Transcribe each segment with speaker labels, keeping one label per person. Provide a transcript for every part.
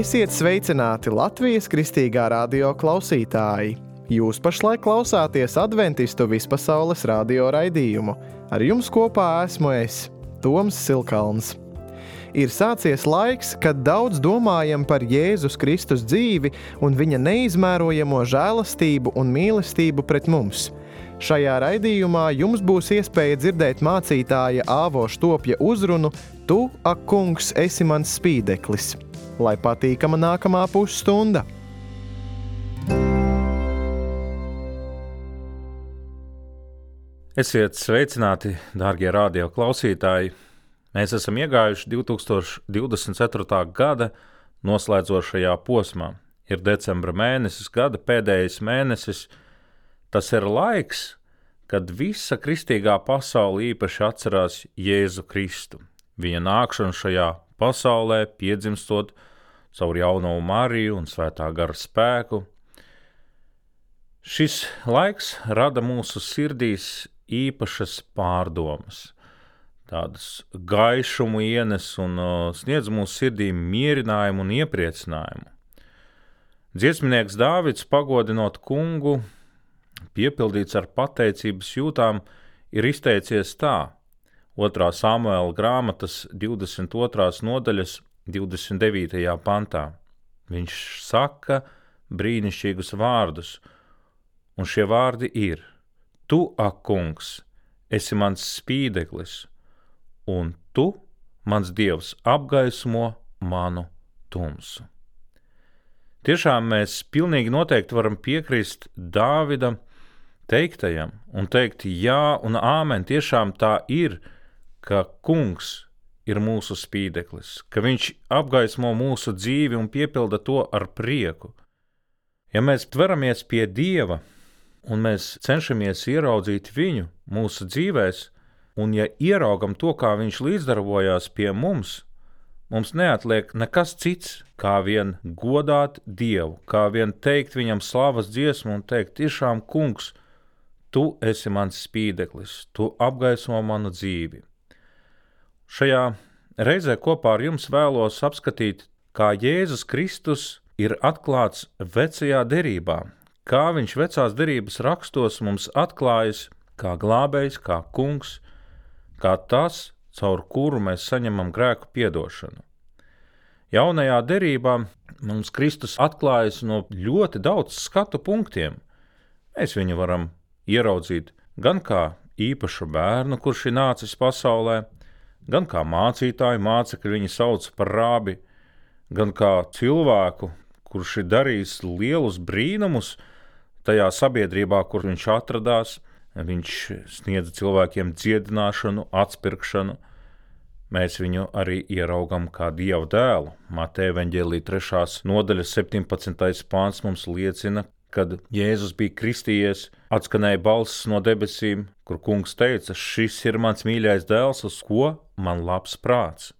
Speaker 1: Esiet sveicināti Latvijas Kristīgā radio klausītāji! Jūs pašlaik klausāties Adventistu vispasaules radio raidījumu. Ar jums kopā esmu es, Toms Silkalns. Ir sācies laiks, kad daudz domājam par Jēzus Kristus dzīvi un viņa neizmērojamo žēlastību un mīlestību pret mums. Šajā raidījumā jums būs iespēja dzirdēt mācītāja Āvo Štopja uzrunu Tu, ak kungs, esi mans spīdeklis. Lai patīkama nākamā pusstunda!
Speaker 2: Esiet sveicināti, dārgie radio klausītāji! Mēs esam iegājuši 2024. gada noslēdzošajā posmā. Ir decembra mēnesis, gada pēdējais mēnesis. Tas ir laiks, kad visa kristīgā pasaule īpaši atcerās Jēzu Kristu. Viņa nākšanu šajā pasaulē, piedzimstot caur jauno Mariju un svētā gara spēku. Šis laiks rada mūsu sirdīs īpašas pārdomas. Tādas gaišumu ienes un sniedz mūsu sirdīm mierinājumu un iepriecinājumu. Dziesminieks Dāvids, pagodinot kungu, piepildīts ar pateicības jūtām, ir izteicies tā: 2. Samuela grāmatas 22. nodaļas 29. pantā. Viņš saka brīnišķīgus vārdus, un šie vārdi ir: Tu, ak kungs, esi mans spīdeklis, un tu, mans Dievs, apgaismo manu tumsu. Tiešām mēs pilnīgi noteikti varam piekrist Dāvida teiktajam un teikt jā un āmen. Tiešām tā ir, ka kungs ir mūsu spīdeklis, ka viņš apgaismo mūsu dzīvi un piepilda to ar prieku. Ja mēs tveramies pie Dieva un mēs cenšamies ieraudzīt viņu mūsu dzīvēs, un ja ieraugam to, kā viņš līdzdarbojās pie mums, mums neatliek nekas cits, kā vien godāt Dievu, kā vien teikt viņam slavas dziesmu un teikt: tiešām, kungs, tu esi mans spīdeklis, tu apgaismo manu dzīvi. Šajā reizē kopā ar jums vēlos apskatīt, kā Jēzus Kristus ir atklāts vecajā derībā, kā viņš vecās derības rakstos mums atklājas kā glābējs, kā kungs, kā tas, caur kuru mēs saņemam grēku piedošanu. Jaunajā derībā mums Kristus atklājas no ļoti daudz skatu punktiem. Mēs viņu varam ieraudzīt gan kā īpašu bērnu, kurš ir nācis pasaulē, gan kā mācītāju, mācekļi viņu sauc par rabi, gan kā cilvēku, kurš ir darījis lielus brīnumus tajā sabiedrībā, kur viņš atradās. Viņš sniedza cilvēkiem dziedināšanu, atspirkšanu. Mēs viņu arī ieraugam kā Dieva dēlu. Mateja evaņģēlija 3. nodaļas 17. pāns mums liecina, kad Jēzus bija kristījies, atskanēja balss no debesīm, kur kungs teica: šis ir mans mīļais dēls, uz ko man labs prāts.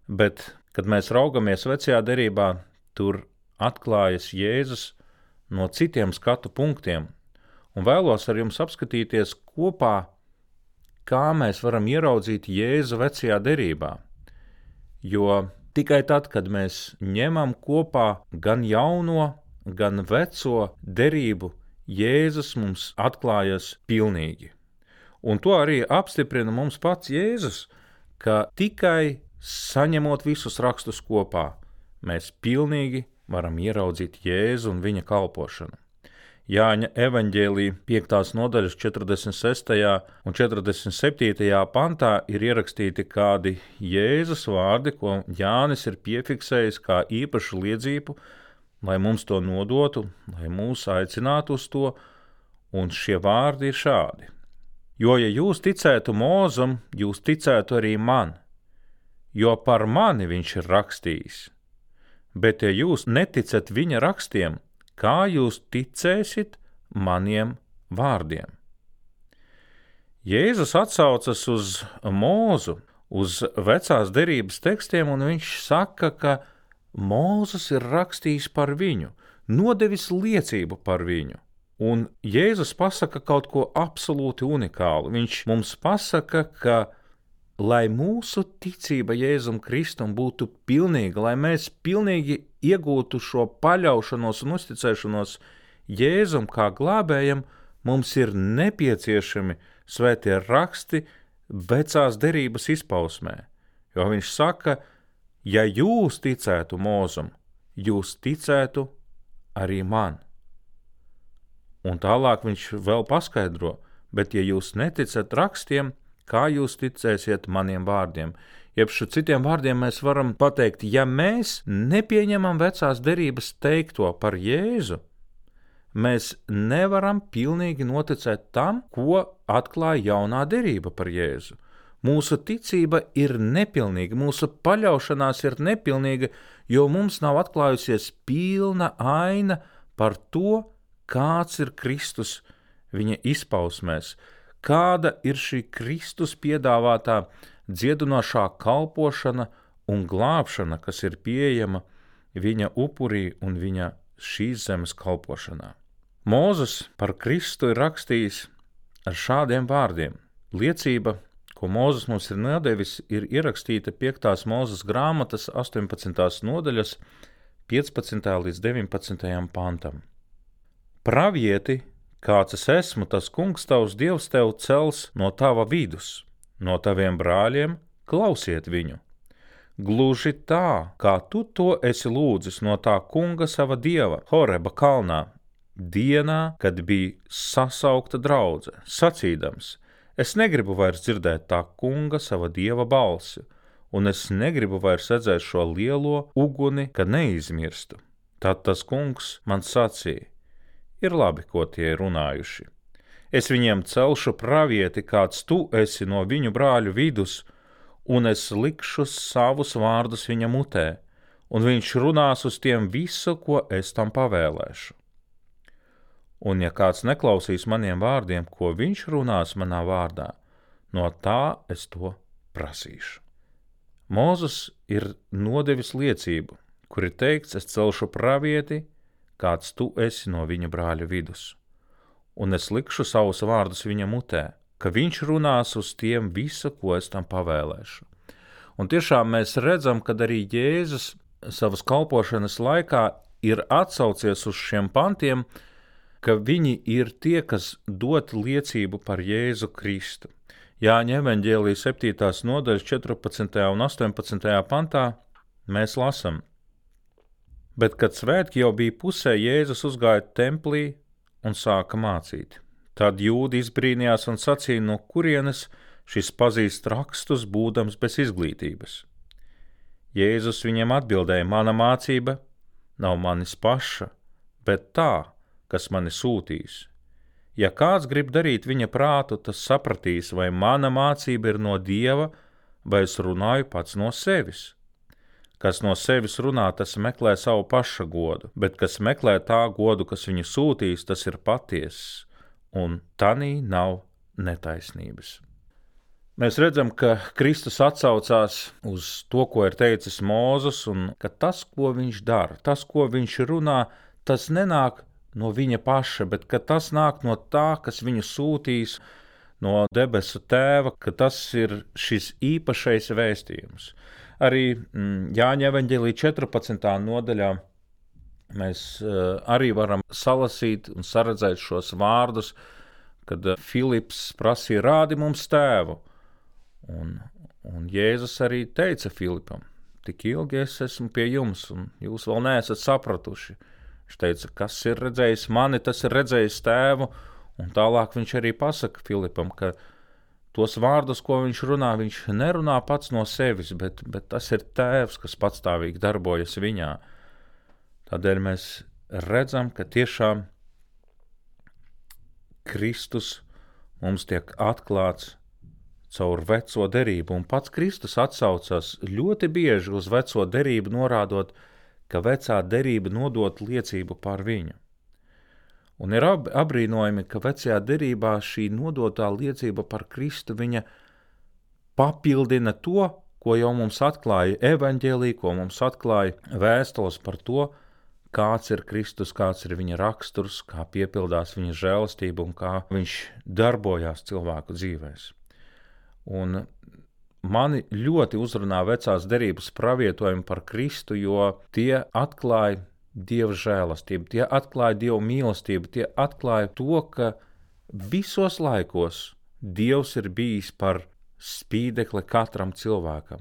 Speaker 2: Bet, kad mēs raugamies vecajā derībā, tur atklājas Jēzus no citiem skatu punktiem. Un vēlos ar jums apskatīties kopā, kā mēs varam ieraudzīt Jēzu vecajā derībā. Jo tikai tad, kad mēs ņemam kopā gan jauno, gan veco derību, Jēzus mums atklājas pilnīgi. Un to arī apstiprina mums pats Jēzus, ka tikai saņemot visus rakstus kopā, mēs pilnīgi varam ieraudzīt Jēzu un viņa kalpošanu. Jāņa evaņģēlija 5. nodaļas 46. un 47. pantā ir ierakstīti kādi Jēzus vārdi, ko Jānis ir piefiksējis kā īpašu liedzību, lai mums to nodotu, lai mūs aicinātu uz to, un šie vārdi ir šādi: Jo, ja jūs ticētu Mūzum, jūs ticētu arī man, jo par mani viņš ir rakstījis. Bet, ja jūs neticat viņa rakstiem, kā jūs ticēsit maniem vārdiem? Jēzus atsaucas uz Mūzu, uz vecās derības tekstiem, un viņš saka, ka Mūzes ir rakstījis par viņu, nodevis liecību par viņu. Un Jēzus pasaka kaut ko absolūti unikālu. Viņš mums pasaka, ka lai mūsu ticība Jēzum Kristum būtu pilnīga, lai mēs pilnīgi iegūtu šo paļaušanos un uzticēšanos Jēzum kā glābējam, mums ir nepieciešami svētie raksti vecās derības izpausmē. Jo viņš saka, ja jūs ticētu Mūzum, jūs ticētu arī man. Un tālāk viņš vēl paskaidro, bet ja jūs neticat rakstiem, kā jūs ticēsiet maniem vārdiem? Jeb citiem vārdiem mēs varam pateikt, ja mēs nepieņemam vecās derības teikto par Jēzu, mēs nevaram pilnīgi noticēt tam, ko atklāja jaunā derība par Jēzu. Mūsu ticība ir nepilnīga, mūsu paļaušanās ir nepilnīga, jo mums nav atklājusies pilna aina par to, kāds ir Kristus viņa izpausmēs, kāda ir šī Kristus piedāvātā dziedinošā kalpošana un glābšana, kas ir pieejama viņa upurī un viņa šīs zemes kalpošanā. Mūzes par Kristu ir rakstījis ar šādiem vārdiem. Liecība, ko Mūzes mums ir nodevis, ir ierakstīta 5. Mūzes grāmatas 18. nodaļas 15. līdz 19. pantam. Pravieti, kāds es esmu, tas kungs tavs Dievs tev cels no tava vidus, no taviem brāļiem, klausiet viņu. Gluži tā, kā tu to esi lūdzis no tā kunga sava dieva, Horeba kalnā, dienā, kad bija sasaukta draudze, sacīdams, es negribu vairs dzirdēt tā kunga sava dieva balsi, un es negribu vairs redzēt šo lielo uguni, kad neizmirstu. Tad tas kungs man sacīja, ir labi, ko tie ir runājuši. Es viņiem celšu pravieti, kāds tu esi no viņu brāļu vidus, un es likšu savus vārdus viņa mutē, un viņš runās uz tiem visu, ko es tam pavēlēšu. Un ja kāds neklausīs maniem vārdiem, ko viņš runās manā vārdā, no tā es to prasīšu. Mūzes ir nodevis liecību, kur ir teikts, es celšu pravieti, kāds tu esi no viņa brāļu vidus, un es likšu savus vārdus viņa mutē, ka viņš runās uz tiem visu, ko es tam pavēlēšu. Un tiešām mēs redzam, kad arī Jēzus savas kalpošanas laikā ir atsaucies uz šiem pantiem, ka viņi ir tie, kas dod liecību par Jēzu Kristu. Jāņa evaņģēlija 7. nodaļas 14. un 18. pantā mēs lasam. Bet, kad svētki jau bija pusē, Jēzus uzgāja templī un sāka mācīt. Tad jūdi izbrīnījās un sacīja, no kurienes šis pazīst rakstus, būdams bez izglītības. Jēzus viņiem atbildēja, mana mācība nav manis paša, bet tā, kas mani sūtīs. Ja kāds grib darīt viņa prātu, tas sapratīs, vai mana mācība ir no Dieva, vai es runāju pats no sevis. Kas no sevis runā, tas meklē savu paša godu, bet kas meklē tā godu, kas viņu sūtīs, tas ir patiess, un tanī nav netaisnības. Mēs redzam, ka Kristus atsaucās uz to, ko ir teicis Mūzes, un ka tas, ko viņš dara, tas, ko viņš runā, tas nenāk no viņa paša, bet ka tas nāk no tā, kas viņu sūtīs, no debesu tēva, ka tas ir šis īpašais vēstījums. Arī Jāņa evaņģēlija 14. nodaļā mēs arī varam salasīt un saredzēt šos vārdus, kad Filips prasīja, rādi mums tēvu. Un Jēzus arī teica Filipam, tik ilgi es esmu pie jums, un jūs vēl neesat sapratuši. Viņš teica, kas ir redzējis mani, tas ir redzējis tēvu, un tālāk viņš arī pasaka Filipam, ka tos vārdus, ko viņš runā, viņš nerunā pats no sevis, bet tas ir tēvs, kas patstāvīgi darbojas viņā. Tādēļ mēs redzam, ka tiešām Kristus mums tiek atklāts caur veco derību, un pats Kristus atsaucas ļoti bieži uz veco derību, norādot, ka vecā derība nodot liecību par viņu. Un ir apbrīnojami, ka vecajā derībā šī nodotā liecība par Kristu viņa papildina to, ko jau mums atklāja evaņģēlija, ko mums atklāja vēstules par to, kāds ir Kristus, kāds ir viņa raksturs, kā piepildās viņa žēlastība un kā viņš darbojās cilvēku dzīvēs. Un mani ļoti uzrunā vecās derības pravietojumi par Kristu, jo tie atklāja Dieva žēlastību, tie atklāja Dieva mīlestību, tie atklāja to, ka visos laikos Dievs ir bijis par spīdekli katram cilvēkam.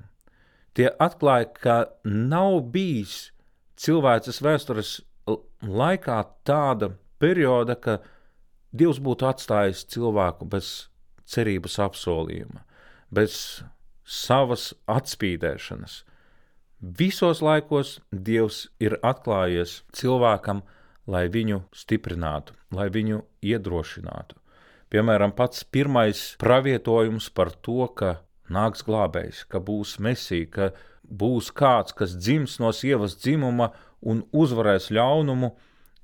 Speaker 2: Tie atklāja, ka nav bijis cilvēces vēstures laikā tāda perioda, ka Dievs būtu atstājis cilvēku bez cerības apsolījuma, bez savas atspīdēšanas. Visos laikos Dievs ir atklājies cilvēkam, lai viņu stiprinātu, lai viņu iedrošinātu. Piemēram, pats pirmais pravietojums par to, ka nāks glābējs, ka būs Mesija, ka būs kāds, kas dzims no sievas dzimuma un uzvarēs ļaunumu,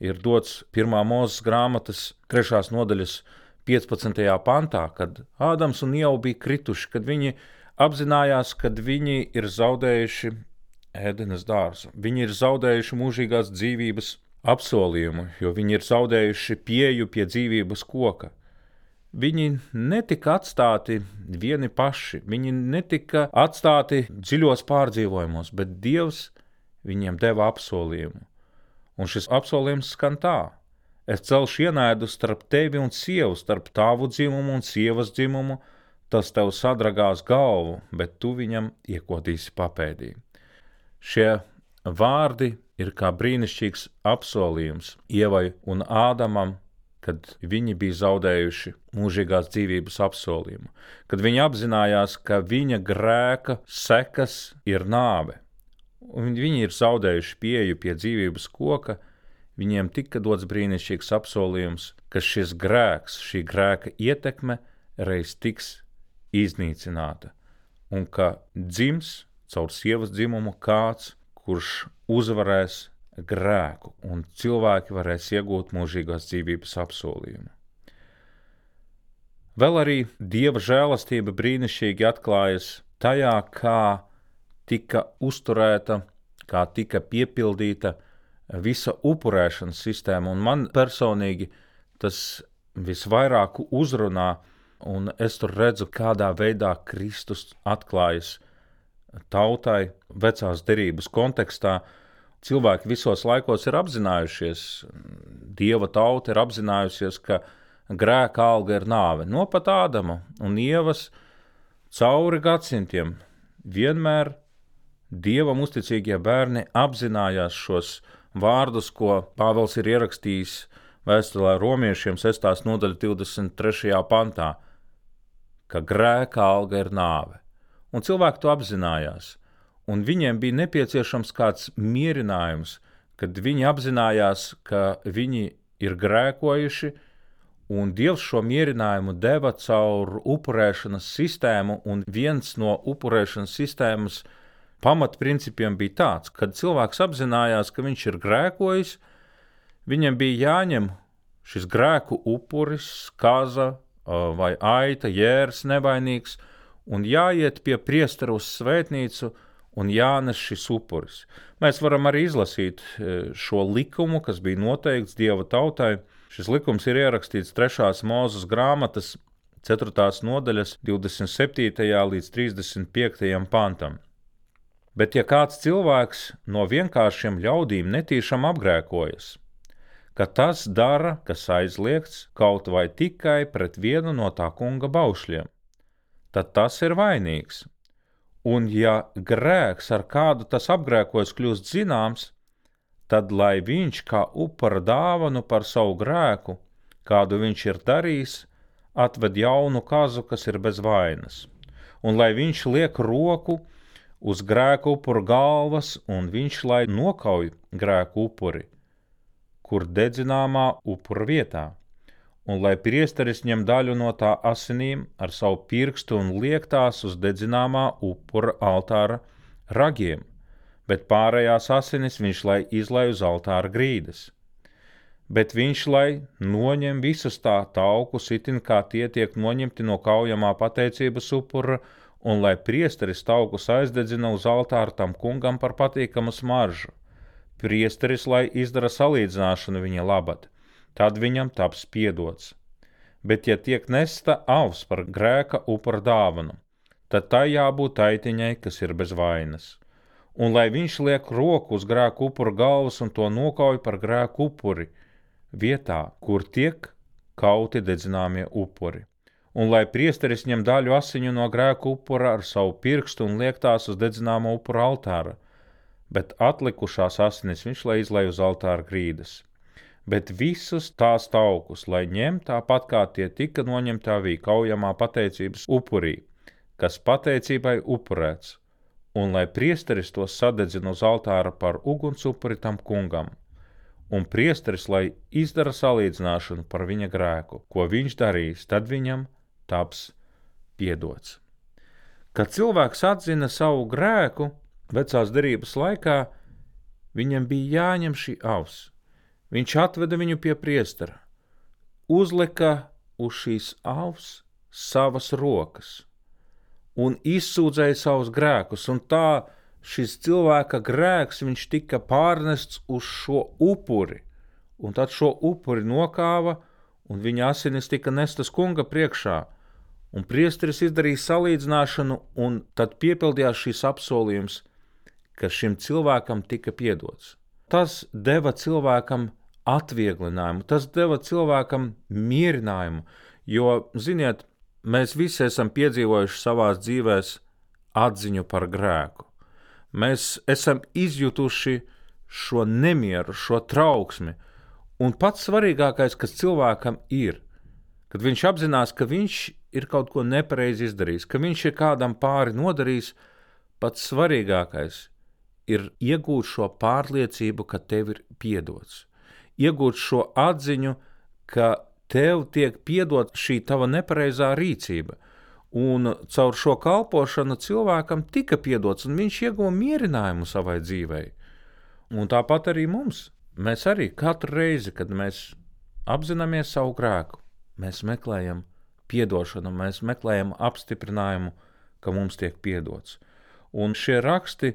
Speaker 2: ir dots 1. Mūzes grāmatas 3. nodaļas 15. pantā, kad Ādams un Ieva bija krituši, kad viņi apzinājās, kad viņi ir zaudējuši Ēdenes dārzu. Viņi ir zaudējuši mūžīgās dzīvības apsolījumu, jo viņi ir zaudējuši pieeju pie dzīvības koka. Viņi netika atstāti vieni paši, viņi netika atstāti dziļos pārdzīvojumos, bet Dievs viņiem deva apsolījumu. Un šis apsolījums skan tā: es celšu ienaidu starp tevi un sievu, starp tavu dzimumu un sievas dzimumu, tas tev sadragās galvu, bet tu viņam iekodīsi papēdī. Šie vārdi ir kā brīnišķīgs apsolījums Ievai un Ādamam, kad viņi bija zaudējuši mūžīgās dzīvības apsolījumu, kad viņi apzinājās, ka viņa grēka sekas ir nāve, un viņi ir zaudējuši pieeju pie dzīvības koka, viņiem tika dots brīnišķīgs apsolījums, ka šis grēks, šī grēka ietekme reiz tiks iznīcināta, un ka dzims caur sievas dzimumu kāds, kurš uzvarēs grēku, un cilvēki varēs iegūt mūžīgās dzīvības apsolījumu. Vēl arī Dieva žēlastība brīnišķīgi atklājas tajā, kā tika uzturēta, kā tika piepildīta visa upurēšanas sistēma, un man personīgi tas visvairāk uzrunā, un es tur redzu, kādā veidā Kristus atklājas tautai vecās derības kontekstā. Cilvēki visos laikos ir apzinājušies, Dieva tauta ir apzinājusies, ka grēka alga ir nāve. No pat Ādama un Ievas cauri gadsimtiem vienmēr Dievam uzticīgie bērni apzinājās šos vārdus, ko Pāvils ir ierakstījis vēstulē romiešiem 6. nodaļa 23. pantā, ka grēka alga ir nāve. Un cilvēki to apzinājās. Un viņiem bija nepieciešams kāds mierinājums, kad viņi apzinājās, ka viņi ir grēkojuši, un Dievs šo mierinājumu deva caur upurēšanas sistēmu, un viens no upurēšanas sistēmas pamatprincipiem bija tāds, kad cilvēks apzinājās, ka viņš ir grēkojis, viņam bija jāņem šis grēku upuris, kaza vai aita, jērs nevainīgs, un jāiet pie priestera uz svētnīcu, un jānes šis upuris. Mēs varam arī izlasīt šo likumu, kas bija noteikts Dieva tautai. Šis likums ir ierakstīts 3. Mūzes grāmatas 4. nodaļas 27. līdz 35. pantam. Bet ja kāds cilvēks no vienkāršiem ļaudīm netīšām apgrēkojas, ka tas dara, kas aizliegts, kaut vai tikai pret vienu no tā kunga baušļiem, tad tas ir vainīgs. Un ja grēks, ar kādu tas apgrēkojas, kļūst zināms, tad lai viņš kā upura dāvanu par savu grēku, kādu viņš ir darījis, atved jaunu kazu, kas ir bez vainas. Un lai viņš liek roku uz grēku upura galvas, un viņš lai nokauj grēku upuri, kur dedzināmā upura vietā. Un lai priesteris ņem daļu no tā asinīm ar savu pirkstu un liek tās uz dedzināmā upura altāra ragiem, bet pārējās asinis viņš lai izlai uz altāra grīdas. Bet viņš lai noņem visus tā taukus, itin kā tie tiek noņemti no kaujamā pateicības upura, un lai priesteris taukus aizdedzina uz altāra tam kungam par patīkamu smaržu. Priesteris lai izdara salīdzināšanu viņa labad. Tad viņam taps piedots. Bet ja tiek nesta avs par grēka upura dāvanu, tad tai jābūt aitiņai, kas ir bez vainas. Un lai viņš liek roku uz grēku upura galvas un to nokauj par grēku upuri, vietā, kur tiek kauti dedzināmie upuri. Un lai priesteris ņem daļu asiņu no grēku upura ar savu pirkstu un liek tās uz dedzināmo upura altāra, bet atlikušās asinis viņš lai izlej uz altāra grīdas. Bet visus tās taukus, lai ņem tāpat kā tie tika noņemti avī kaujamā pateicības upurī, kas pateicībai upurēts, un lai priesteris tos sadedzina uz altāra par ugunsupuri tam kungam, un priesteris, lai izdara salīdzināšanu par viņa grēku, ko viņš darīs, tad viņam taps piedots. Kad cilvēks atzina savu grēku vecās derības laikā, viņam bija jāņem šī avs. Viņš atveda viņu pie priestera, uzlika uz šīs avs savas rokas un izsūdzēja savus grēkus, un tā šis cilvēka grēks viņš tika pārnests uz šo upuri, un tad šo upuri nokāva, un viņa asinis tika nestas kunga priekšā, un priesteris izdarīja salīdzināšanu, un tad piepildījās šīs apsolījums, ka šim cilvēkam tika piedots. Tas deva cilvēkam atvieglinājumu, tas deva cilvēkam mierinājumu, jo, ziniet, mēs visi esam piedzīvojuši savās dzīvēs atziņu par grēku. Mēs esam izjutuši šo nemieru, šo trauksmi, un pats svarīgākais, kas cilvēkam ir, kad viņš apzinās, ka viņš ir kaut ko nepareizi izdarījis, ka viņš ir kādam pāri nodarījis, pats svarīgākais ir iegūt šo pārliecību, ka tev ir piedots. Iegūt šo atziņu, ka tev tiek piedot šī tava nepareizā rīcība. Un caur šo kalpošanu cilvēkam tika piedots, un viņš ieguva mierinājumu savai dzīvei. Un tāpat arī mums. Mēs arī katru reizi, kad mēs apzināmies savu grēku, mēs meklējam piedošanu, mēs meklējam apstiprinājumu, ka mums tiek piedots. Un šie raksti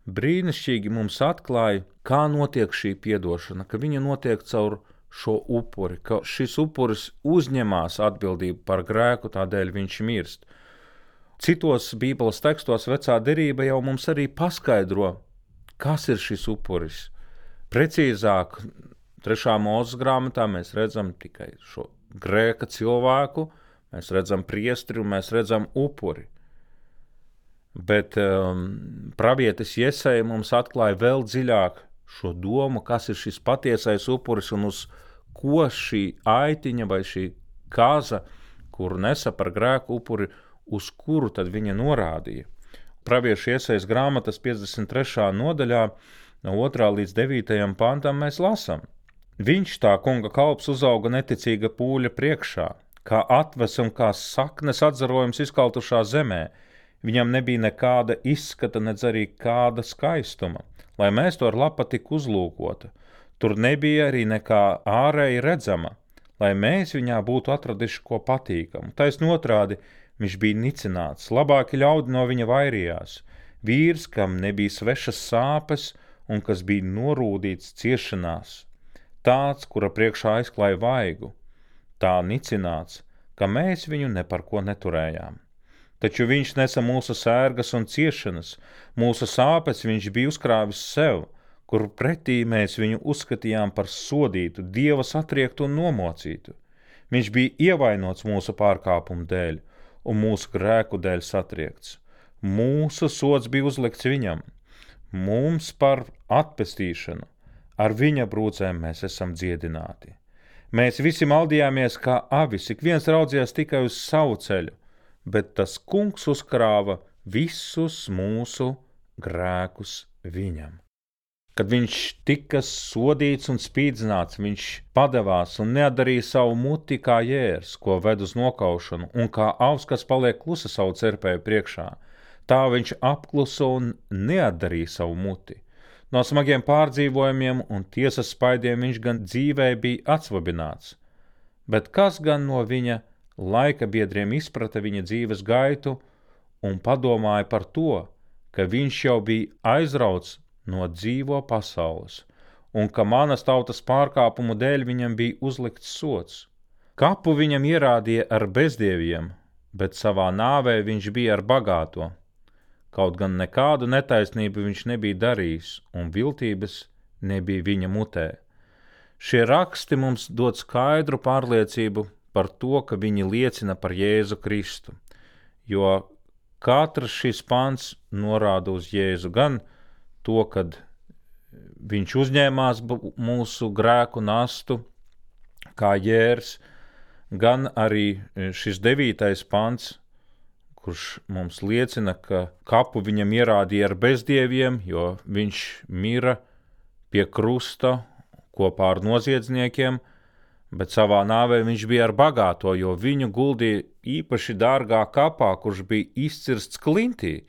Speaker 2: brīnišķīgi mums atklāja, kā notiek šī piedošana, ka viņa notiek caur šo upuri, ka šis upuris uzņemās atbildību par grēku, tādēļ viņš mirst. Citos Bībeles tekstos vecā derība jau mums arī paskaidro, kas ir šis upuris. Precīzāk, 3. Mūzes grāmatā mēs redzam tikai šo grēka cilvēku, mēs redzam priestri un mēs redzam upuri. Bet pravietis Jesaja mums atklāja vēl dziļāk šo domu, kas ir šis patiesais upuris un uz ko šī aitiņa vai šī kaza, kuru nesa par grēku upuri, uz kuru tad viņa norādīja. Pravieša Jesajas grāmatas 53. nodaļā no 2. līdz 9. pantam mēs lasam. Viņš tā kunga kalps uzauga neticīga pūļa priekšā, kā atves un kā saknes atzarojums izkaltušā zemē. Viņam nebija nekāda izskata, nedz arī kāda skaistuma, lai mēs to ar lapatiku uzlūkota. Tur nebija arī nekā ārēji redzama, lai mēs viņā būtu atraduši ko patīkamu. Taisn otrādi, viņš bija nicināts, labāki ļaudi no viņa vairījās. Vīrs, kam nebija svešas sāpes un kas bija norūdīts ciešanās. Tāds, kura priekšā aizklāja vaigu. Tā nicināts, ka mēs viņu ne par ko neturējām. Taču viņš nesa mūsu sērgas un ciešanas, mūsu sāpes viņš bija uzkrāvis sev, kur pretī mēs viņu uzskatījām par sodītu, Dieva satriektu un nomocītu. Viņš bija ievainots mūsu pārkāpumu dēļ un mūsu grēku dēļ satriekts. Mūsu sods bija uzlikts viņam, mums par atpestīšanu, ar viņa brūcēm mēs esam dziedināti. Mēs visi maldījāmies kā avis, ik viens raudzījās tikai uz savu ceļu, bet tas kungs uzkrāva visus mūsu grēkus viņam. Kad viņš tika sodīts un spīdzināts, viņš padevās un neatdarīja savu muti kā jērs, ko ved uz nokaušanu, un kā avs, kas paliek klusa savu cerpēju priekšā. Tā viņš apklusa un neatdarīja savu muti. No smagiem pārdzīvojumiem un tiesas spaidiem viņš gan dzīvē bija atsvabināts, bet kas gan no viņa laika biedriem izprata viņa dzīves gaitu un padomāja par to, ka viņš jau bija aizrauts no dzīvo pasaules, un ka manas tautas pārkāpumu dēļ viņam bija uzlikts sods. Kapu viņam ierādīja ar bezdieviem, bet savā nāvē viņš bija ar bagāto. Kaut gan nekādu netaisnību viņš nebija darījis, un viltības nebija viņa mutē. Šie raksti mums dod skaidru pārliecību par to, ka viņi liecina par Jēzu Kristu, jo katrs šis pants norāda uz Jēzu, gan to, kad viņš uzņēmās mūsu grēku nastu kā jērs, gan arī šis 9. pants, kurš mums liecina, ka kapu viņam ierādīja ar bezdieviem, jo viņš mira pie krusta kopā ar noziedzniekiem, bet savā nāvē viņš bija ar bagāto, jo viņu guldīja īpaši dārgā kapā, kurš bija izcirsts klintī.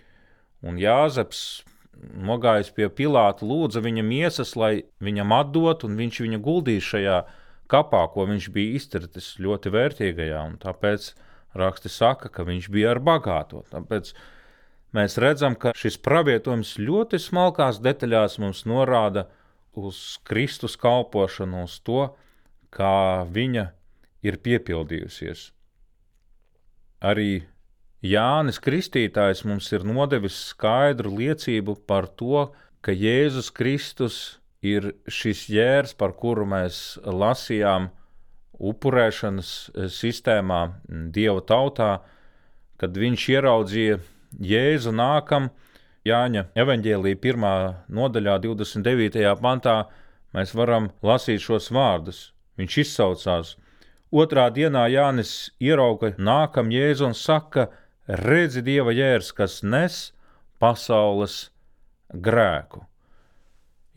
Speaker 2: Un Jāzeps, nogājis pie Pilāta, lūdza viņa miesas, lai viņam atdot, un viņš viņu guldīja šajā kapā, ko viņš bija izcirtis ļoti vērtīgajā, un tāpēc raksti saka, ka viņš bija ar bagāto. Tāpēc mēs redzam, ka šis pravietojums ļoti smalkās detaļās mums norāda uz Kristus kalpošanu, uz to, kā viņa ir piepildījusies. Arī Jānis Kristītājs mums ir nodevis skaidru liecību par to, ka Jēzus Kristus ir šis jērs, par kuru mēs lasījām upurēšanas sistēmā Dieva tautā, kad viņš ieraudzīja Jēzu nākam. Jāņa evaņģēlija 1. nodaļā 29. pantā mēs varam lasīt šos vārdus. Viņš izsaucās. 2. dienā Jānis ierauga nākam Jēzu un saka: redzi Dieva jērs, kas nes pasaules grēku.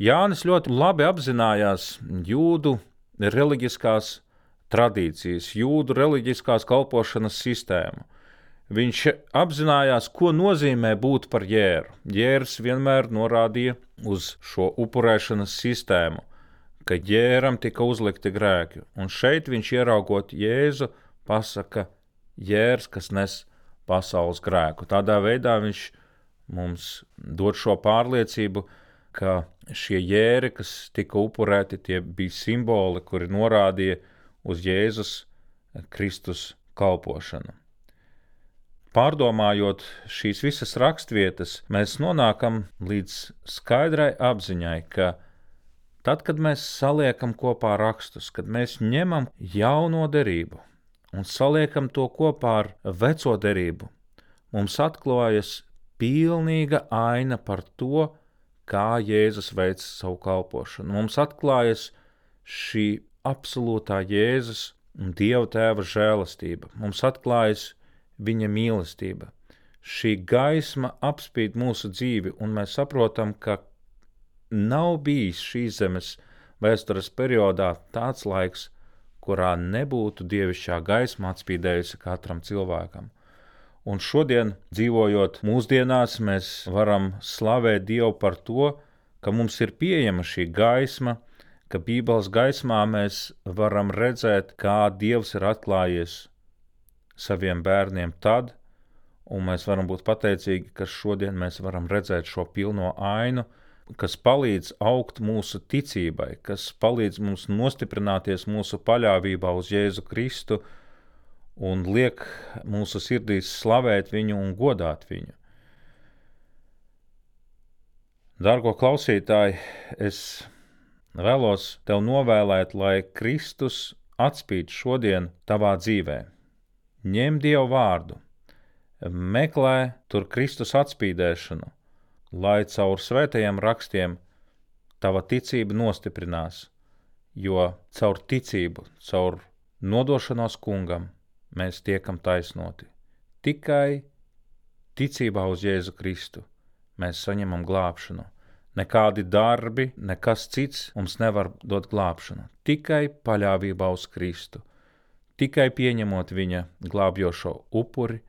Speaker 2: Jānis ļoti labi apzinājās jūdu reliģiskās tradīcijas, jūdu reliģiskās kalpošanas sistēmu. Viņš apzinājās, ko nozīmē būt par jēru. Jērs vienmēr norādīja uz šo upurēšanas sistēmu, ka jēram tika uzlikti grēki. Un šeit viņš ieraugot Jēzu pasaka: jērs, kas nes pasaules grēku. Tādā veidā viņš mums dod šo pārliecību, ka šie jēri, kas tika upurēti, tie bija simboli, kuri norādīja uz Jēzus Kristus kalpošanu. Pārdomājot šīs visas rakstvietas, mēs nonākam līdz skaidrai apziņai, ka tad, kad mēs saliekam kopā rakstus, kad mēs ņemam jauno derību un saliekam to kopā ar veco derību, mums atklājas pilnīga aina par to, kā Jēzus veic savu kalpošanu. Mums atklājas šī absolūtā Jēzus un Dieva Tēva žēlastība. Mums atklājas viņa mīlestība. Šī gaisma apspīd mūsu dzīvi, un mēs saprotam, ka nav bijis šīs zemes vēstures periodā tāds laiks, kurā nebūtu dievišķā gaisma atspīdējusi katram cilvēkam. Un šodien, dzīvojot mūsdienās, mēs varam slavēt Dievu par to, ka mums ir pieejama šī gaisma, ka Bībeles gaismā mēs varam redzēt, kā Dievs ir atklājies saviem bērniem tad, un mēs varam būt pateicīgi, ka šodien mēs varam redzēt šo pilno ainu, kas palīdz augt mūsu ticībai, kas palīdz mums nostiprināties mūsu paļāvībā uz Jēzu Kristu un liek mūsu sirdīs slavēt viņu un godāt viņu. Dargo klausītāji, es vēlos tev novēlēt, lai Kristus atspīd šodien tavā dzīvē. Ņem Dievu vārdu, meklē tur Kristus atspīdēšanu, lai caur svētajiem rakstiem tava ticība nostiprinās, jo caur ticību, caur nodošanos kungam mēs tiekam taisnoti. Tikai ticībā uz Jēzu Kristu mēs saņemam glābšanu. Nekādi darbi, nekas cits mums nevar dot glābšanu. Tikai paļāvībā uz Kristu. Tikai pieņemot viņa glābjošo upuri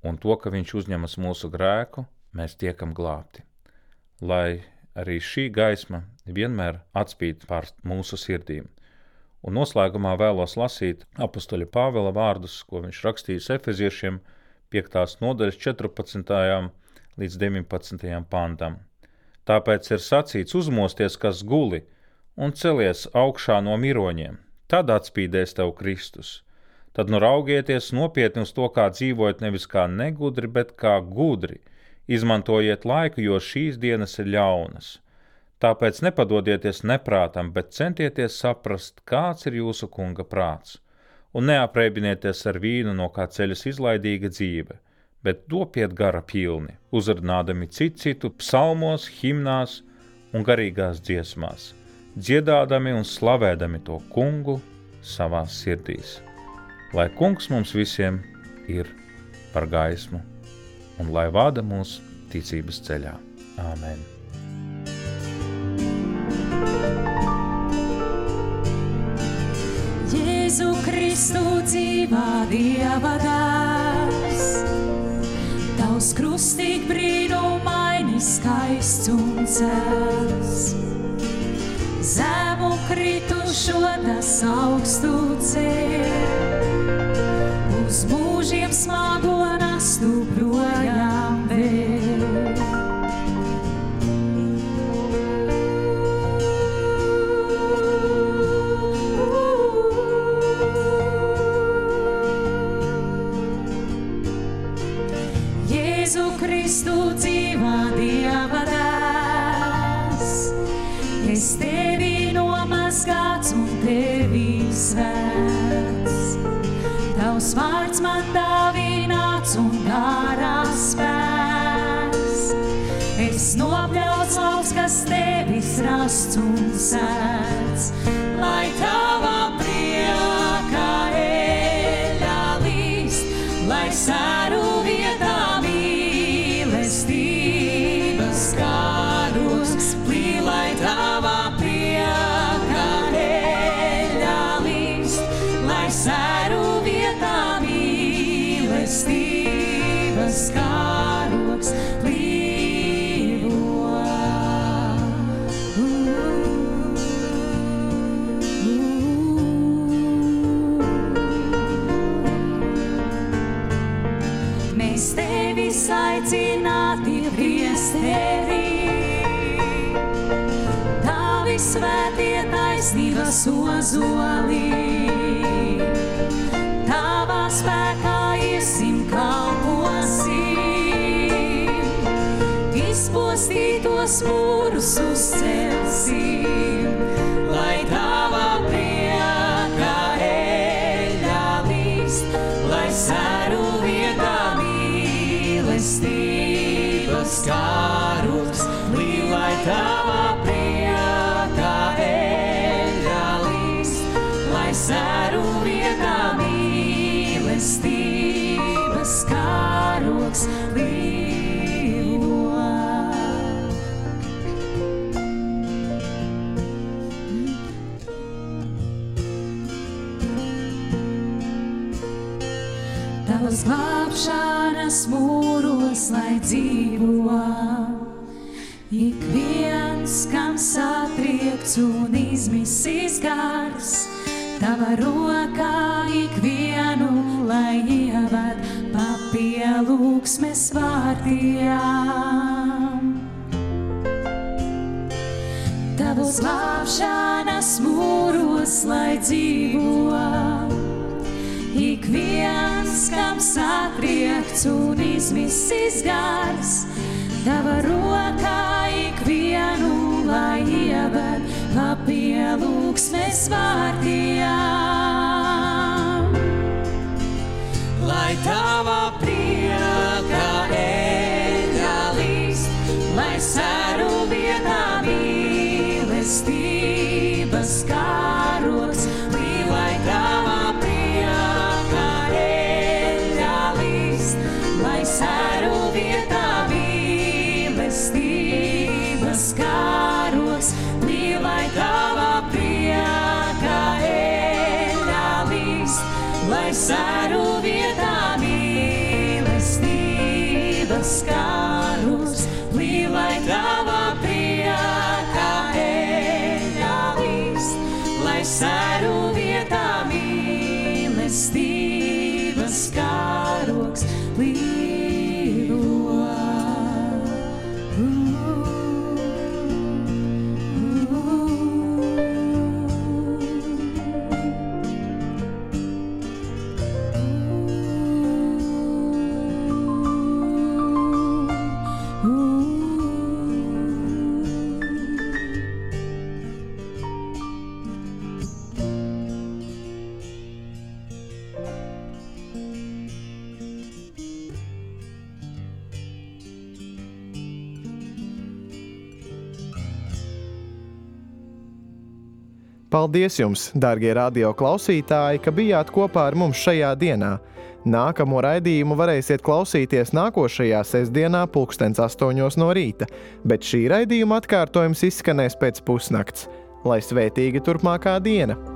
Speaker 2: un to, ka viņš uzņemas mūsu grēku, mēs tiekam glābti. Lai arī šī gaisma vienmēr atspīd pār mūsu sirdīm. Un noslēgumā vēlos lasīt apostoļa Pāvela vārdus, ko viņš rakstījis Efeziešiem 5. nodaļas 14. līdz 19. pantam. Tāpēc ir sacīts: uzmosties, kas guli, un celies augšā no miroņiem, tad atspīdēs tev Kristus. Tad nu raugieties nopietni uz to, kā dzīvojat nevis kā negudri, bet kā gudri. Izmantojiet laiku, jo šīs dienas ir ļaunas. Tāpēc nepadodieties neprātam, bet centieties saprast, kāds ir jūsu kunga prāts. Un neapreibieties ar vīnu, no kā ceļas izlaidīga dzīve, bet topiet gara pilni, uzrunādami citu psalmos, himnās un garīgās dziesmās, dziedādami un slavēdami to kungu savās sirdīs. Lai kungs mums visiem ir par gaismu un lai vada mūs ticības ceļā. Āmen.
Speaker 3: Jēzu Kristu dzīvā Dieva dēls, Tavs krustīgi brīnumaini skaists un cels. Zemu kritušo tas augstu ceļ, uz mūžiem smago nastu projām vēl. Jēzu Kristu dzīvā Dieva dēls, es tevi nomazgāts un tevi svēts. Tavs vārds man dāvināts un garā spēks. Es nopļauts lauks, kas tevis rasts un sēts, lai tavā priekā eļļa līst, lai sēru vietā mīlestības karogs plī, lai tavā priekā eļļa līst, lai sēru vietā mīlestības karogs plīvo. Mēs tevis aicināti priesteri, tavi svētie taisnības ozoli. Tavā spēkā iesim kalposim, izpostītos mūrus uzcelsim, lai tavā priekā eļļa līst, lai sēru vietā mīlestības karogs plī, lai tavā priekā eļļa līst, lai sēru vietā mīlestības karogs plīvo. Tavas glābšanas mūros, lai dzīvo ik viens, kam satriekts un izmisis gars. Tava rokā ikvienu, lai ieved pa pielūgsmes vārtiem. Tavas glābšanas mūros, lai dzīvo ik viens, kam satriekts un izmisis gars. Tava rokā ikvienu, lai ieved pa pielūgsmes vārtiem. Lai tavā priekā eļļa līst, lai sēru vietā mīlestības karogs plī, lai tavā priekā eļļa līst, lai sēru vietā mīlestības karogs plī, lai tavā priekā eļļa līst, lai sēru vietā mīlestības karogs plī, lai tavā priekā eļļa līst, lai sēru vietā mīlestības karogs plīvo.
Speaker 1: Paldies jums, dārgie radio klausītāji, ka bijāt kopā ar mums šajā dienā. Nākamo raidījumu varēsiet klausīties nākošajā sestdienā 8:00 no rīta, bet šī raidījuma atkārtojums izskanēs pēc pusnakts. Lai svētīga turpmākā diena!